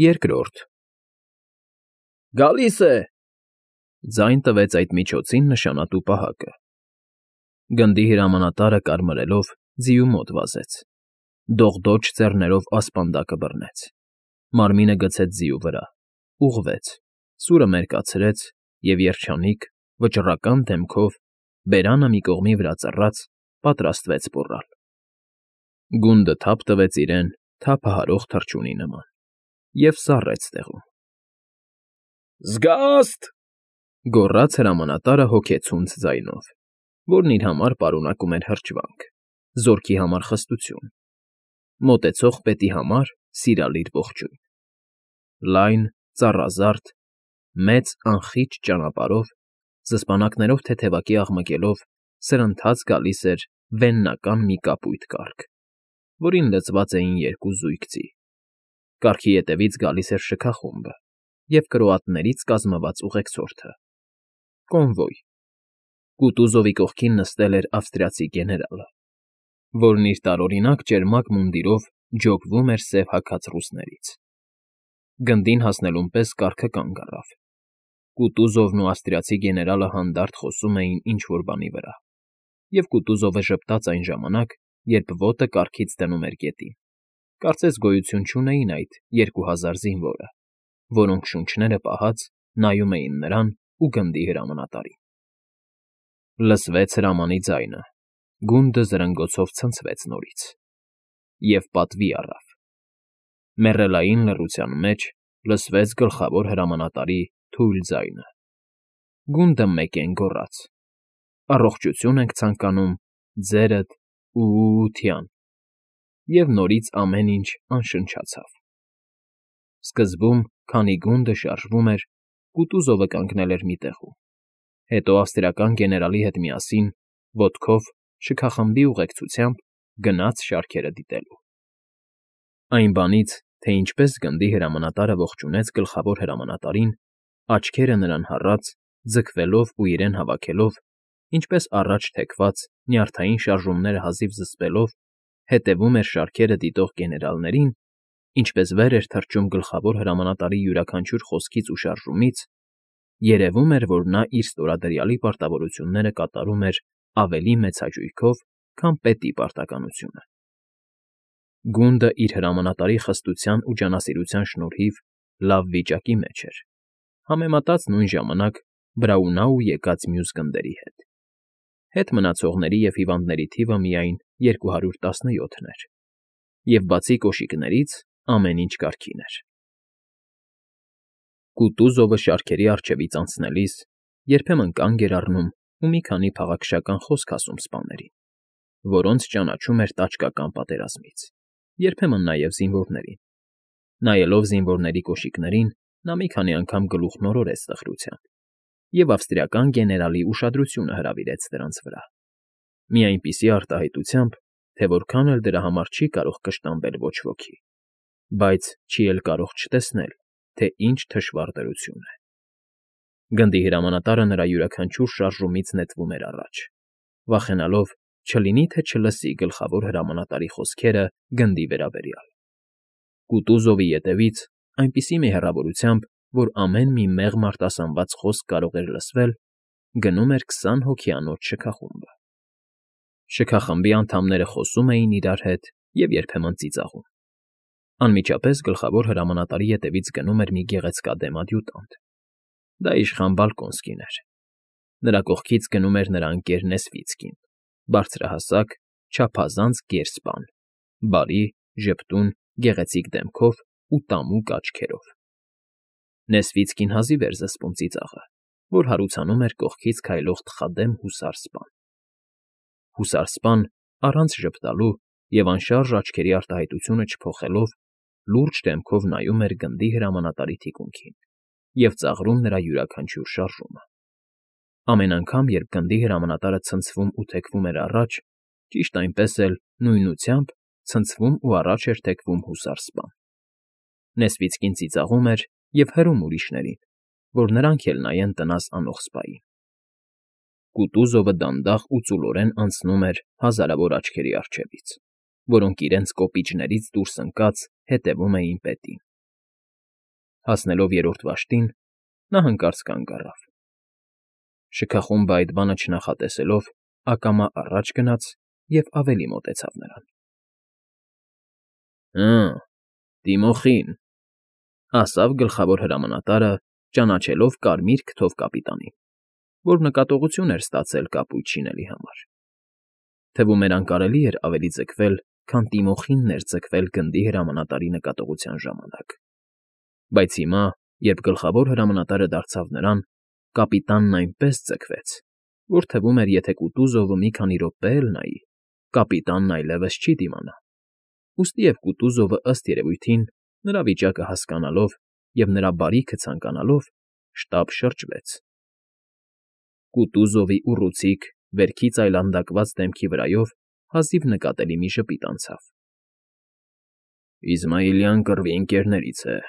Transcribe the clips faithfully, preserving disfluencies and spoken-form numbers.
Երկրորդ։ ֊ Գալի՛ս է,֊ ձայն տվեց այդ միջոցին նշանատու պահակը։ Գնդի հրամանատարը կարմրելով ձիու մոտ վազեց, դողդոջ ձեռներով ասպանդակը բռնեց, մարմինը գցեց ձիու վրա, ուղղվեց, սուրը մերկացրեց և երջանիկ, վճռական դեմքով, բերանը մի կողմի վրա ծռած, պատրաստվեց մոռալ։ Գունդը թափ տվեց իրեն թափահարող թռչունի նման և սառեց տեղում։ ֊ Զգա՜ստ,֊ գոռաց հրամանատարը հոգեցունց ձայնով, որն իր համար պարունակում էր հրճվանք, զորքի համար խստություն, մոտեցող պետի համար սիրալիր ողջույն։ Լայն, ծառազարդ, մեծ անխիճ ճանապարհով, զսպանակներով թեթևակի աղմկելով սրընթաց գալիս էր վեննական մի կապույտ կառք, որին լցված էին երկու զույգ ձի։ Կառքի ետևից գալիս էր շքախումբը և կրոատներից կազմված ուղեկցորդը՝ կոնվոյ։ Կուտուզովի կողքին նստել էր ավստրիացի գեներալը, որն իր տարօրինակ ճերմակ մունդիրով ջոգվում էր սև հագած ռուսներից։ Գնդին հասնելուն պես կառքը կանգ առավ։ Կուտուզովն ու ավստրիացի գեներալը հանդարտ խոսում էին ինչ֊որ բանի վրա, և Կուտուզովը ժպտաց այն ժամանակ, երբ ոտը կառքից դնում էր գետին, կարծես գոյություն չունեին այդ երկու հազար զինվորը, որոնք, շունչները պահած, նայում էին նրան ու գնդի հրամանատարին։ Լսվեց հրամանի ձայնը, գունդը զրնգոցով ցնցվեց նորից և պատվի առավ։ Մեռելային լռության մեջ լսվեց գլխավոր հրամանատարի թույլ ձայնը. «Գունդը մեկ են գոռաց. առողջություն ենք ցանկանում ձերդ ու֊ու֊ության», և նորից ամեն ինչ անշնչացավ։ Սկզբում, քանի գունդը շարժվում էր, Կուտուզովը կանգնել էր մի տեղում, հետո ավստրիական գեներալի հետ միասին, ոտքով, շքախմբի ուղեկցությամբ գնաց շարքերը դիտելու։ Այն բանից, թե ինչպես գնդի հրամանատարը ողջունեց գլխավոր հրամանատարին, աչքերը նրան հառած, ձգվելով ու իրեն հավաքելով, ինչպես առաջ թեքված, նյարդային շարժումները հազիվ զսպելով, հետևում էր շարքերը դիտող գեներալներին, ինչպես վեր էր թռչում գլխավոր հրամանատարի յուրաքանչյուր խոսքից ու շարժումից, երևում էր, որ նա իր ստորադրյալի պարտավորությունները կատարում էր ավելի մեծ հաճույքով, քան պետի պարտականությունը։ Գունդը իր հրամանատարի խստության ու ջանասիրության շնորհիվ լավ վիճակի մեջ էր, համեմատած նույն ժամանակ Բրաունաու եկած մյուս գնդերի հետ։ Հետ մնացողների և հիվանդների թիվը միայն երկու հարյուր տասնյոթն էր, և բացի կոշիկներից ամեն ինչ կարգին էր։ Կուտուզովը շարքերի առջևից անցնելիս երբեմն կանգ էր առնում ու մի քանի փաղաքշական խոսք ասում սպաներին, որոնց ճանաչում էր տաճկական պատերազմից, երբեմն նաև զինվորներին։ Նայելով զինվորների կոշիկներին, նա մի քանի անգամ գլուխ նորորեց տխրությամբ և ավստրիական գեներալի ուշադրությունը հրավիրեց դրանց վրա, մի այնպիսի արտահայտությամբ, թե որքան էլ դրա համար չի կարող կշտամբել ոչ ոքի, բայց չի էլ կարող չտեսնել, թե ինչ թշվառ դրություն է։ Գնդի հրամանատարը նրա յուրաքանչյուր շարժումից նետվում էր առաջ, վախենալով չլինի թե չլսի գլխավոր հրամանատարի խոսքերը գնդի վերաբերյալ։ Կուտուզովի ետևից, այնպիսի մի հեռավորությամբ, որ ամեն մի մեղմ արտասանված խոսք կարող էր լսվել, գնում էր քսան հոգիանոց շքախումբը։ Շքախմբի անդամները խոսում էին իրար հետ և երբեմն ծիծաղում։ Անմիջապես գլխավոր հրամանատարի ետևից գնում էր մի գեղեցկադեմ ադյուտանտ։ Դա իշխան Բալկոնսկին էր։ Նրա կողքից գնում էր նրա ընկեր Նեսվիցկին, բարձրահասակ, չափազանց գեր սպան, բարի, ժպտուն, գեղեցիկ դեմքով ու տամուկ աչքերով։ Նեսվիցկին հազիվ էր զսպում ծիծաղը, որ հարուցանում էր կողքից քայլող թխադեմ հուսար սպան։ Հուսար սպան, առանց ժպտալու և անշարժ աչքերի արտահայտությունը չփոխելով, լուրջ դեմքով նայում էր գնդի հրամանատարի թիկունքին և ծաղրում նրա յուրաքանչյուր շարժումը։ Ամեն անգամ, երբ գնդի հրամանատարը ցնցվում ու թեքվում էր առաջ, ճիշտ այնպես էլ, նույնությամբ, ցնցվում ու առաջ էր թեքվում հուսար սպան։ Նեսվիցկին ծիծաղում էր և հրում ուրիշներին, որ նրանք էլ նայեն տնաս անող սպային։ Կուտուզովը դանդաղ ու ծուլորեն անցնում էր հազարավոր աչքերի առջևից, որոնք իրենց կոպիճներից դուրս ընկած հետևում էին պետին։ Հասնելով երրորդ վաշտին, նա հանկարծ կանգ առավ։ Շքախումբը այդ բանը չնախատեսելով, ակամա առաջ գնաց և ավելի մոտեցավ նրան։ ֊ Հը, Տիմոխին,֊ ասավ գլխավոր հրամանատարը, ճանաչելով կարմիր քթով կապիտանին, որ նկատողություն էր ստացել կապույտ շինելի համար. թվում էր անկարելի էր ավելի ձգվել, քան Տիմոխինն էր ձգվել գնդի հրամանատարի նկատողության ժամանակ, բայց հիմա, երբ գլխավոր հրամանատարը դարձավ նրան, կապիտանն այնպես ձգվեց, որ թվում էր, եթե Կուտուզովը մի քանի րոպե էլ նայի, կապիտանն այլևս չի դիմանա, ուստի և Կուտուզովը, ըստ երևույթին, նրա վիճակը հասկանալով և նրա բարիքը ցանկանալով, շտապ շրջվեց։ Կուտուզովի ուռուցիկ, վերքից այլանդակված դեմքի վրայով հազիվ նկատելի մի ժպիտ անցավ։ ֊ Իզմայիլյան կռվի ընկերներից է,֊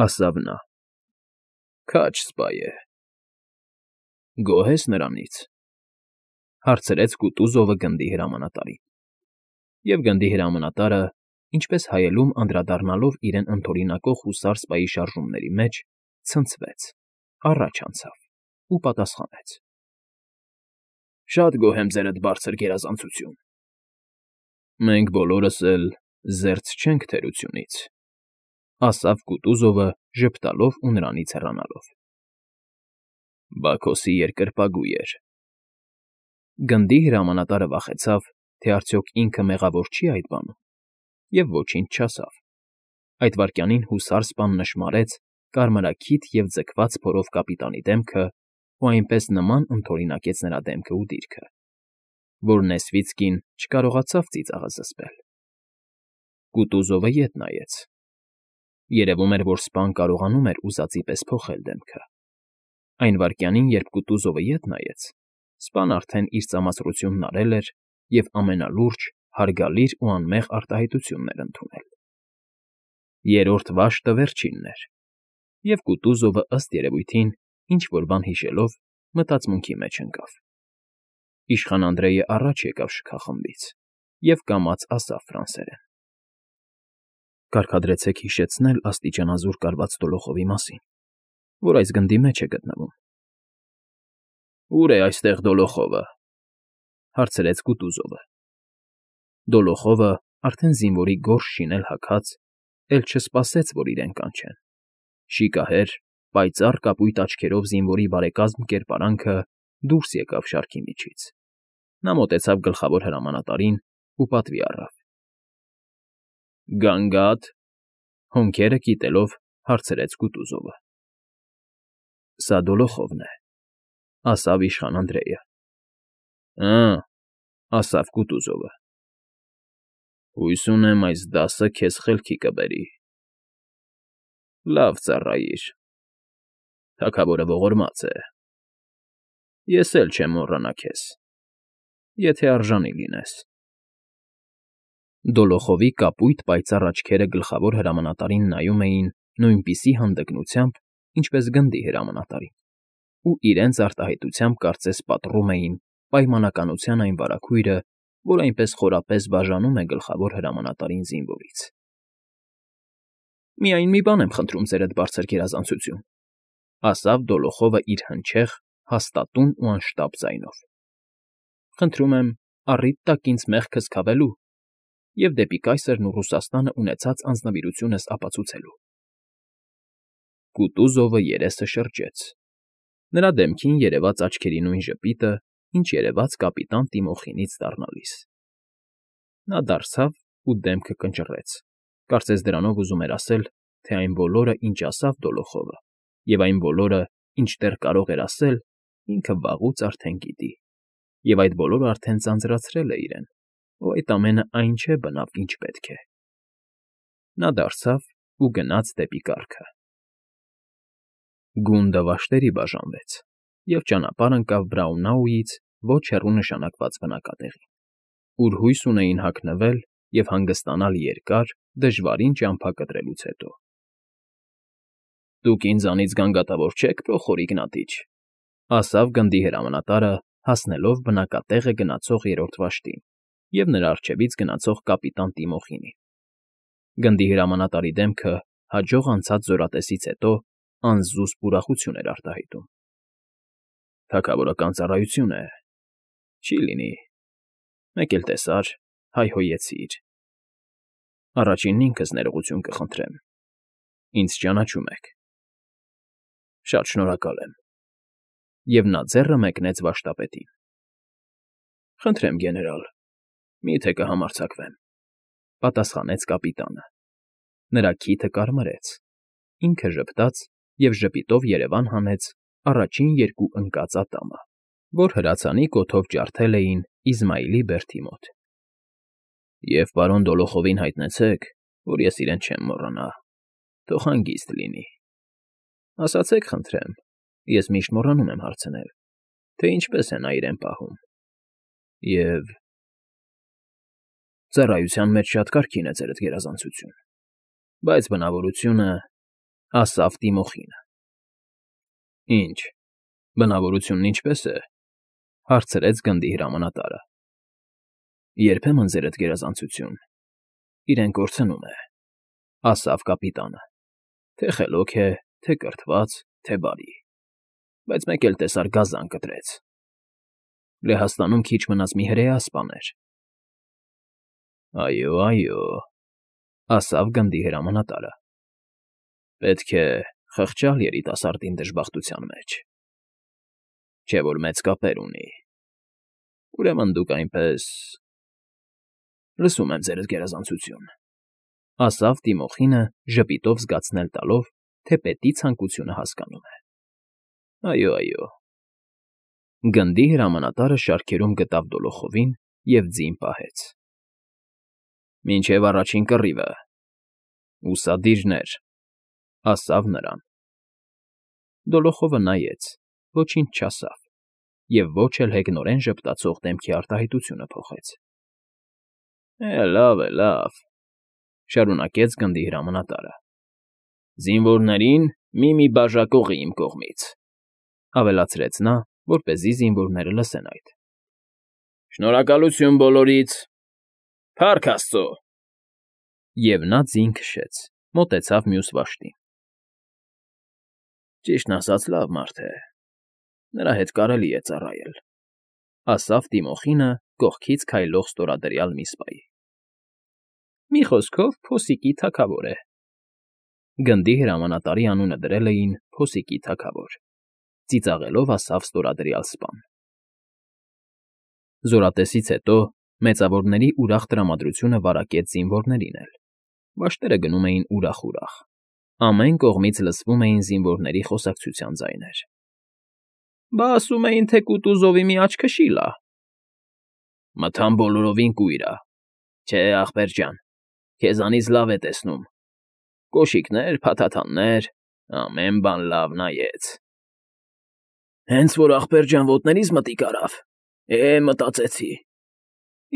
ասավ նա։ ֊ Քաջ սպա է։ ֊ Գոհ ես նրանից,֊ հարցրեց Կուտուզովը գնդի հրամանատարին։ Եվ գնդի հրամանատարը, ինչպես հայելում անդրադառնալով իրեն ընդօրինակող հուսար սպայի շարժումների մեջ, ցնցվեց, առաջ անցավ ու պատասխանեց. ֊ Շատ գոհ եմ ձերդ բարձր գերազանցություն։ ֊ Մենք բոլորս էլ զերծ չենք թերությունից,֊ ասավ Կուտուզովը, ժպտալով ու նրանից հեռանալով։ ֊ Բաքոսի երկրպագու էր։ Գնդի հրամանատարը վախեցավ, թե արդյոք ինքը մեղավոր չի այդ բանում, և ոչինչ չասավ։ Այդ վայրկյանին հուսար սպան նշմարեց կարմրաքիթ և ձգված փորով կապիտանի դեմքը ու այնպես նման ընդօրինակեց նրա դեմքն ու դիրքը, որ Նեսվիցկին չկարողացավ ծիծաղը զսպել։ Կուտուզովը ետ նայեց։ Երևում էր, որ սպան կարողանում էր ուզածի պես փոխել դեմքը։ Այն վայրկյանին, երբ Կուտուզովը ետ նայեց, սպան արդեն իր ծամածրությունն արել էր և ամենալուրջ, հարգալից ու անմեղ արտահայտությունն էր ընդունել։ Երրորդ վաշտը վերջինն էր, և Կուտուզովը, ըստ երևույթին, ինչ֊որ բան հիշելով, մտածմունքի մեջ ընկավ։ Իշխան Անդրեյը առաջ եկավ շքախմբից և կամաց ասավ ֆրանսերեն. ֊ Կարգադրեցեք հիշեցնել աստիճանազուրկ արված դոլոխովի մասին, որ այս գնդի մեջ է գտնվում։ ֊ Ո՞ւր է այստեղ Դոլոխովը,֊ հարցրեց Կուտուզովը։ Դոլոխովը, արդեն զինվորի գորշ շինել հագած, էլ չսպասեց, որ իրեն կանչեն. շիկահեր, պայծառ կապույտ աչքերով զինվորի բարեկազմ կերպարանքը դուրս եկավ շարքի միջից։ Նա մոտեցավ գլխավոր հրամանատարին ու պատվի առավ. ֊ Գանգա՞դ,֊ հոնքերը կիտելով, հարցրեց Կուտուզովը։ ֊ Սա Դոլոխովն է,֊ ասավ իշխան Անդրեյը։ ֊ Ը՛,֊ ասավ Կուտուզովը։ ֊ Հույս ունեմ այս դասը քեզ խելքի կբերի։ ֊ Լավ ծառայիր։ Թագավորը ողորմած է։ Ես էլ չեմ մոռանա քեզ, եթե արժանի լինես։ Դոլոխովի կապույտ պայծառ աչքերը գլխավոր հրամանատարին նայում էին նույնպիսի հանդգնությամբ, ինչպես գնդի հրամանատարին, ու իրենց արտահայտությամբ կարծես պատռում էին պայմանականության այն վարագույրը, որ այնպես խորապես բաժանում է գլխավոր հրամանատարին զինվորից։ ֊ Միայն մի բան եմ խնդրում ձերդ բարձր գերազանցություն,֊ ասավ Դոլոխովը իր հնչեղ, հաստատուն ու անշտապ ձայնով։֊ Խնդրում եմ առիթ տաք ինձ մեղքս քավելու և դեպի կայսրն ու Ռուսաստանը ունեցած անձնվիրությունս ապացուցելու։ Կուտուզովը երեսը շրջեց։ Նրա դեմքին երևաց աչքերի նույն ժպիտը, ինչ երևաց կապիտան Տիմոխինից դառնալիս։ Նա դարձավ ու դեմքը կնճռեց, կարծես դրանով ուզում էր ասել, թե այն բոլորը, ինչ ասավ Դոլոխովը, և այն բոլորը, ինչ դեռ կարող էր ասել, ինքը վաղուց արդեն գիտի, և այդ բոլորը արդեն ձանձրացրել է իրեն, ու այդ ամենը այն չէ բնավ, ինչ պետք է։ Նա դարձավ ու գնաց դեպի կառքը։ Գունդը վաշտերի բաժանվեց, և ճանապարհ ընկավ Բրաունաուից ոչ հեռու նշանակված բնակատեղին, ուր հույս ունեին հագնվել և հանգստանալ երկար, դժվարին ճամփա կտրելուց հետո։ ֊ Դուք ինձանից գանգատավոր չեք, Պրոխոր Իգնատիչ,֊ ասավ գնդի հրամանատարը, հասնելով բնակատեղը գնացող երրորդ վաշտին և նրա առջևից գնացող կապիտան Տիմոխինին։ Գնդի հրամանատարի դեմքը հաջող անցած զորատեսից հետո անզուսպ ուրախություն էր արտահայտում։ Թագավորական ծառայություն է, չի լինի, մեկ էլ տեսար, հայհոյեցիր։ Առաջինն ինքս ներողություն կխնդրեմ, ինձ ճանաչում եք։ Շատ շնորհակալ եմ։ Եվ նա ձեռը մեկնեց վարշտապետին։ Խնդրեմ, գեներալ, մի՞թե կհամարձակվեմ, պատասխանեց կապիտանը։ Նրա քիթը կարմրեց, ինքը ժպտաց և ժպիտով երևան հանեց առաջին երկու ընկած ատամը, որ հրացանի կոթով ջարդել էին Իզմայիլի բերդի մոտ։ Եվ պարոն Դոլոխովին հայտնեցեք, որ ես իրեն չեմ մոռանա, թող հանգիստ լինի։ Ասացեք, խնդրեմ, ես միշտ մոռանում եմ հարցնել, թե ինչպես է նա իրեն պահում։ Եվ… Ծառայության մեջ շատ կարգին է ձերդ գերազանցություն, բայց բնավորությունը… Ասավ Տիմոխինը։ Ինչ, բնավորությունն ինչպե՞ս է,֊ հարցրեց գնդի հրամանատարը։ Երբեմն ձերդ գերազանցություն իրեն կորցնում է, ասավ կապիտանը, թե խելոք է, թե կրթված, թե բարի, բայց մեկ էլ տեսար գազան կտրեց։ Լեհաստանում քիչ մնաց մի հրեա սպաներ։ Այո, այո, ասավ գնդի հրամանատարը։ Պետք է խղճալ երիտասարդին դժբախտության մեջ։ Չէ՞ որ մեծ կապեր ունի։ Ուրեմն դուք այնպես… Լսում եմ ձերդ գերազանցություն, ասավ Տիմոխինը ժպիտով զգացնել տալով, թե պետի ցանկությունը հասկանում է։ Այո, այո։ Գնդի հրամանատարը շարքերում գտավ Դոլոխովին և ձին պահեց։ Մինչև առաջին կռիվը, ուսադիրներ, ասավ նրան։ Դոլոխովը նայեց, ոչինչ չասավ և ոչ էլ հեգնորեն ժպտացող դեմքի արտահայտությունը փոխեց։ Է, լավ է, լավ,֊ շարունակեց գնդի հրամանատարը։ Զինվորներին մի֊մի բաժակողի իմ կողմից,֊ ավելացրեց նա, որպեսզի զինվորները լսեն այդ։ Շնորհակալություն բոլորից… Փառք Աստծո… Եվ նա ձին քշեց, մոտեցավ մյուս վաշտին։ Ճիշտն ասած, լավ մարդ է, նրա հետ կարելի է ծառայել,֊ ասավ Տիմոխինը կողքից քայլող ստորադրյալ մի սպայի։ Մի խոսքով, փոսիկի թագավոր է։ Գնդի հրամանատարի անունը դրել էին Փոսիկի թագավոր, ծիծաղելով ասավ ստորադրյալ սպան։ Զորատեսից հետո մեծավորների ուրախ տրամադրությունը վարակեց զինվորներին էլ։ Վաշտերը գնում էին ուրախ֊ուրախ։ Ամեն կողմից լսվում էին զինվորների խոսակցության ձայներ։ Բա ասում էին, թե Կուտուզովի մի աչքը շիլ ա։ Մթան բոլորովին կույր ա։ Չէ, ախպեր ջան, քեզանից լավ է տեսնում։ Կոշիկներ, փաթաթաններ, ամեն բան լավ նայեց։ Հենց որ ախպեր ջան ոտներիս մտիկ արավ, է, մտածեցի։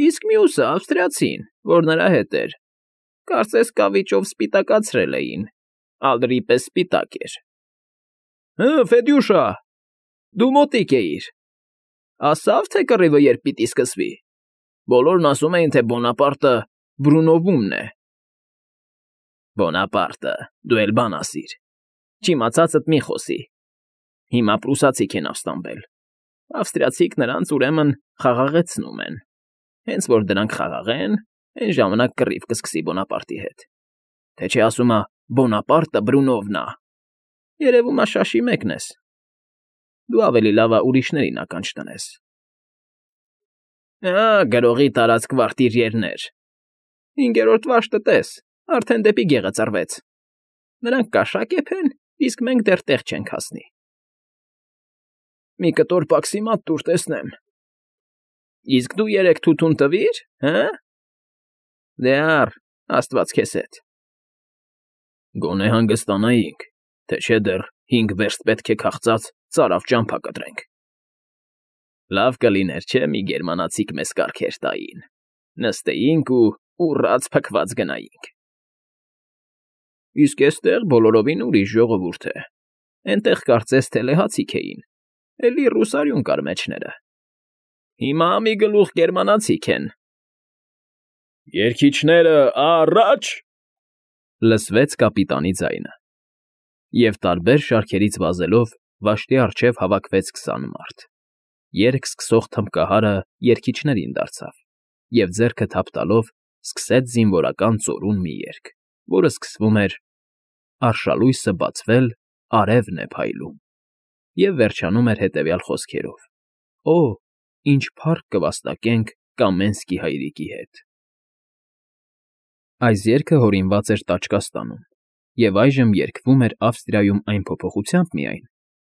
Իսկ մյուսը ավստրիացին, որ նրա հետ էր, կարծես կավիճով սպիտակացրել էին, ալրի պես սպիտակ էր։ Հը, Ֆեդյուշա, դու մոտիկ էիր։ Ասավ, թե կռիվը երբ պիտի սկսվի։ Բոլորն ասում էին, թե Բոնապարտը Բրունովումն է։ Բոնապարտը, դու էլ բան ասիր։ Չիմացածդ մի խոսի։ Հիմա պրուսացիք են ապստամբել։ Ավստրիացիք նրանց ուրեմն խաղաղեցնում են։ Հենց որ դրանք խաղաղեն, այն ժամանակ կռիվ կսկսի Բոնապարտի հետ։ Թե չէ ասում ա Բոնապարտը Բրունովն ա։ Երևում ա շաշի մեկն ես։ Դու ավելի լավ ա ուրիշներին ականջ տնես։ Ա, գրողի տարած կվարտիրյերներ։ Հինգերորդ վաշտը տես, արդեն դեպի գեղը ծռվեց։ Նրանք կաշակ եփեն, իսկ մենք դեռ տեղ չենք հասնի։ Մի կտոր պաքսիմատ տուր տեսնեմ։ Իսկ դու երեք թութուն տվի՞ր, հը՞։ Դե առ, աստված քեզ հետ։ Գոնե հանգստանայինք, թե չէ դեռ հինգ վերստ պետք է քաղծած ծարավ ճամփա կտրենք։ Լավ կլիներ, չէ՞, մի գերմանացիք մեզ կարգեր տային, նստեինք ու ուռած փքված գնայինք։ Իսկ էստեղ բոլորովին ուրիշ ժողովուրդ է։ Էնտեղ կարծես թե լեհացիք էին, էլի ռուսարյուն կար մեջները։ Հիմա մի գլուխ գերմանացիք են։ Երգիչները, առաջ… Լսվեց կապիտանի ձայնը, և տարբեր շարքերից վազելով վաշտի առջև հավաքվեց քսան մարդ. երգ սկսող թմբկահարը երգիչներին դարձավ և, ձեռքը թափ տալով, սկսեց զինվորական ծորուն մի երգ, որը սկսվում էր «Արշալույսը բացվել, արևն է փայլում» և վերջանում էր հետևյալ խոսքերով. «Օ՜, ինչ փառք կվաստակենք Կամենսկի հայրիկի հետ»։ Այս երգը հորինված էր Տաճկաստանում և այժմ երգվում էր Ավստրիայում այն փոփոխությամբ միայն,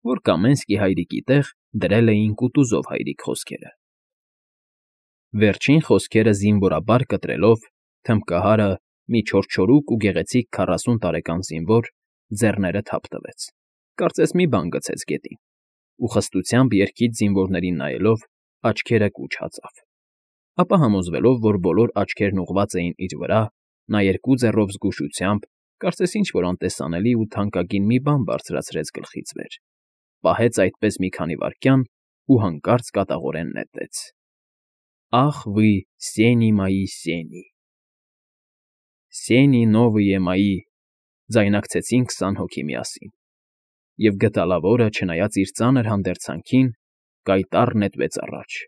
որ Կամենսկի հայրիկի տեղ դրել էին Կուտուզով հայրիկ խոսքերը։ Վերջին խոսքերը զինվորաբար կտրելով, թմբկահարը, մի չորչորուկ ու գեղեցիկ քառասուն տարեկան զինվոր, ձեռները թափ տվեց, կարծես մի բան գցեց գետին, ու խստությամբ երգիչ զինվորներին նայելով, աչքերը կուչ հաձավ, ապա համոզվելով, որ բոլոր աչքերն ուղղված էին իր վրա, նա երկու ձեռով զգուշությամբ, կարծես ինչ֊որ անտեսանելի ու թանկագին մի բան բարձրացրեց գլխից վեր, պահեց այդպես մի քանի վայրկյան ու հանկարծ կատաղորեն նետեց. «Ախ вы, սենի մայի սենի»։ «Սենի նովըյե մայի», ձայնակցեցին քսան հոգի միասին, և գդալավորը, չնայած իր ծանր հանդերձանքին, կայտառ նետվեց առաջ,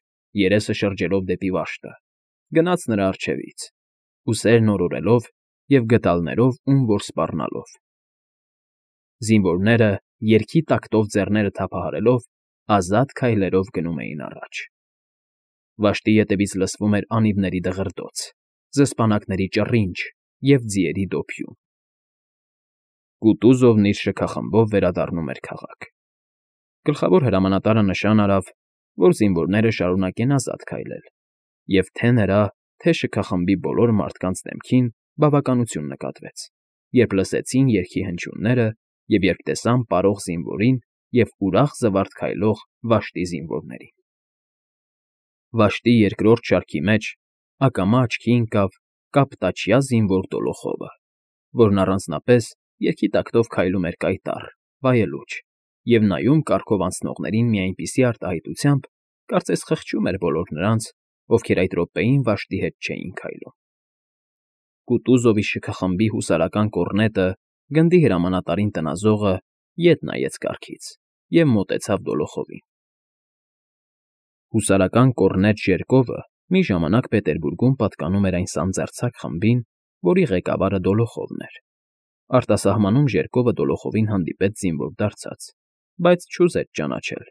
երեսը շրջելով դեպի վաշտը, գնաց նրա առջևից, ուսերն օրորելով և գդալներով ում որ սպառնալով։ Զինվորները, երգի տակտով ձեռները թափահարելով, ազատ քայլերով գնում էին առաջ։ Վաշտի ետևից լսվում էր անիվների դղրդոց, զսպանակների ճռինչ և ձիերի դոփյուն։ Կուտուզովն իր շքախմբով վերադառնում էր քաղաք։ Գլխավոր հրամանատարը նշան արավ, որ զինվորները շարունակեն ազատ քայլել, և թե՛ նրա, թե՛ շքախմբի բոլոր մարդկանց դեմքին բավականություն նկատվեց, երբ լսեցին երգի հնչյունները և երբ տեսան պարող զինվորին և ուրախ զվարթ քայլող վաշտի զինվորներին։ Վաշտի երկրորդ շարքի մեջ ակամա աչքի ընկավ կապտաչյա զինվոր Դոլոխովը, որն առանձնապես երգի տակտով քայլում էր կայտառ, վայելուչ և նայում կառքով անցնողներին մի այնպիսի արտահայտությամբ, կարծես խղճում էր բոլոր նրանց, ովքեր այդ րոպեին վաշտի հետ չէին քայլում։ Կուտուզովի շքախմբի հուսարական կոռնետը, գնդի հրամանատարին տնազողը, ետ նայեց կառքից և մոտեցավ Դոլոխովին։ Հուսարական կոռնետ Ժերկովը մի ժամանակ Պետերբուրգում պատկանում էր այն սանձարձակ խմբին, որի ղեկավարը Դոլոխովն էր։ Արտասահմանում Ժերկովը Դոլոխովին հանդիպեց զինվոր դարձած, բայց չուզեց ճանաչել։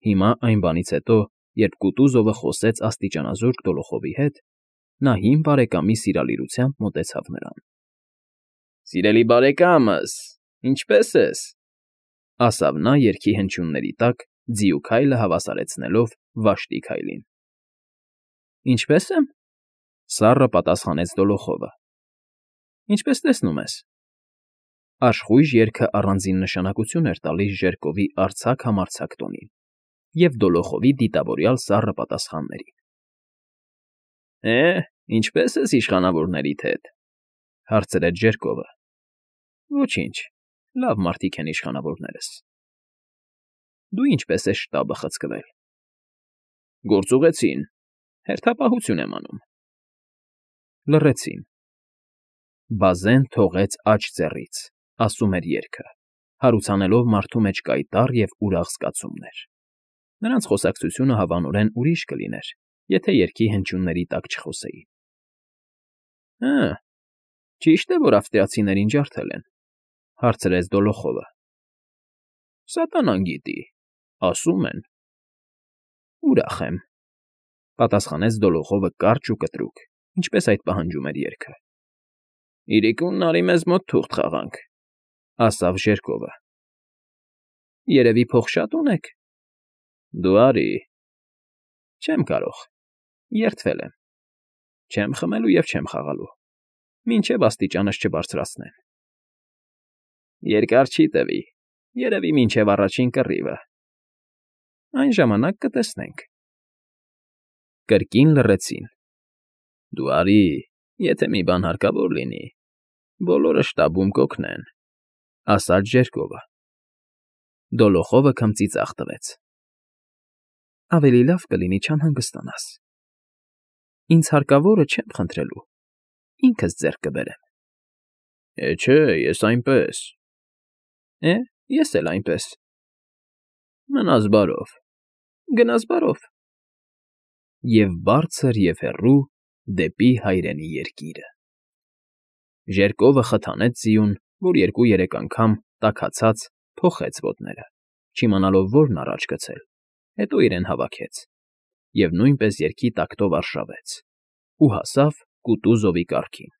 Հիմա այն բանից հետո, երբ Կուտուզովը խոսեց աստիճանազուրկ Դոլոխովի հետ, նա հին բարեկամի սիրալիրությամբ մոտեցավ նրան։ ֊ Սիրելի բարեկա՜մս, ինչպե՞ս ես,֊ ասավ նա երգի հնչյունների տակ, ձիու քայլը հավասարեցնելով վաշտի քայլին։ ֊ Ինչպե՞ս եմ,֊ սառը պատասխանեց Դոլոխովը։ ֊ Ինչպես տեսնում ես։ Աշխույժ երգը առանձին նշանակություն էր տալիս Ժերկովի արձակ֊համարձակ տոնին և Դոլոխովի դիտավորյալ սառը պատասխաններին։ ֊ Է՞, ինչպե՞ս ես իշխանավորներիդ հետ,֊ հարցրեց Ժերկովը։ ֊ Ոչինչ, լավ մարդիկ են իշխանավորներս։ ֊ Դու ինչպե՞ս ես շտաբը խցկվել։ ֊ Գործուղեցին, հերթապահություն եմ անում։ ֊ Լռեցին։ Բազեն թողեց աջ ծեռից, ասում էր երգը, հարուցանելով մարդու մեջ կայտառ և ուրախ զգացումներ։ Նրանց խոսակցությունը հավանորեն ուրիշ կլիներ, եթե երգի հնչյունների տակ չխոսեին։ ֊ Հը, ճի՞շտ է, որ ավստրիացիներին ջարդել են,֊ հարցրեց Դոլոխովը։ ֊ Սատանան գիտի, ասում են։ ֊ Ուրախ եմ,֊ պատասխանեց Դոլոխովը կարճ ու կտրուկ, ինչպես այդ պահանջում էր երգը։ ֊ Իրիկունն արի մեզ մոտ թուղթ խաղանք,֊ ասավ Ժերկովը։ ֊ Երևի փող շա՞տ ունեք։ ֊ Դու արի։ ֊ Չեմ կարող, երդվել եմ։ Չեմ խմելու և չեմ խաղալու, մինչև աստիճանս չբարձրացնեն։ ֊ Երկար չի տևի, երևի մինչև առաջին կռիվը։ ֊ Այն ժամանակ կտեսնենք։ Կրկին լռեցին։ ֊ Դու արի, եթե մի բան հարկավոր լինի, բոլորը շտաբում կօգնեն,֊ ասաց Ժերկովը։ Դոլոխովը քմծիծաղ տվեց։ ֊ Ավելի լավ կլինի չանհանգստանաս։ Ինձ հարկավորը չեմ խնդրելու, ինքս ձեռք կբերեմ։ Է, չէ, ես այնպես։ Է, ես էլ այնպես։ Մնաս բարով, գնաս բարով։ Եվ բարձր և հեռու դեպի հայրենի երկիրը… Ժերկովը խթանեց ձիուն, որ երկու֊երեք անգամ, տաքացած, փոխեց ոտները, չիմանալով որն առաջ գցել, հետո իրեն հավաքեց և նույնպես երգի տակտով արշավեց ու հասավ կուտու զովի կառքին։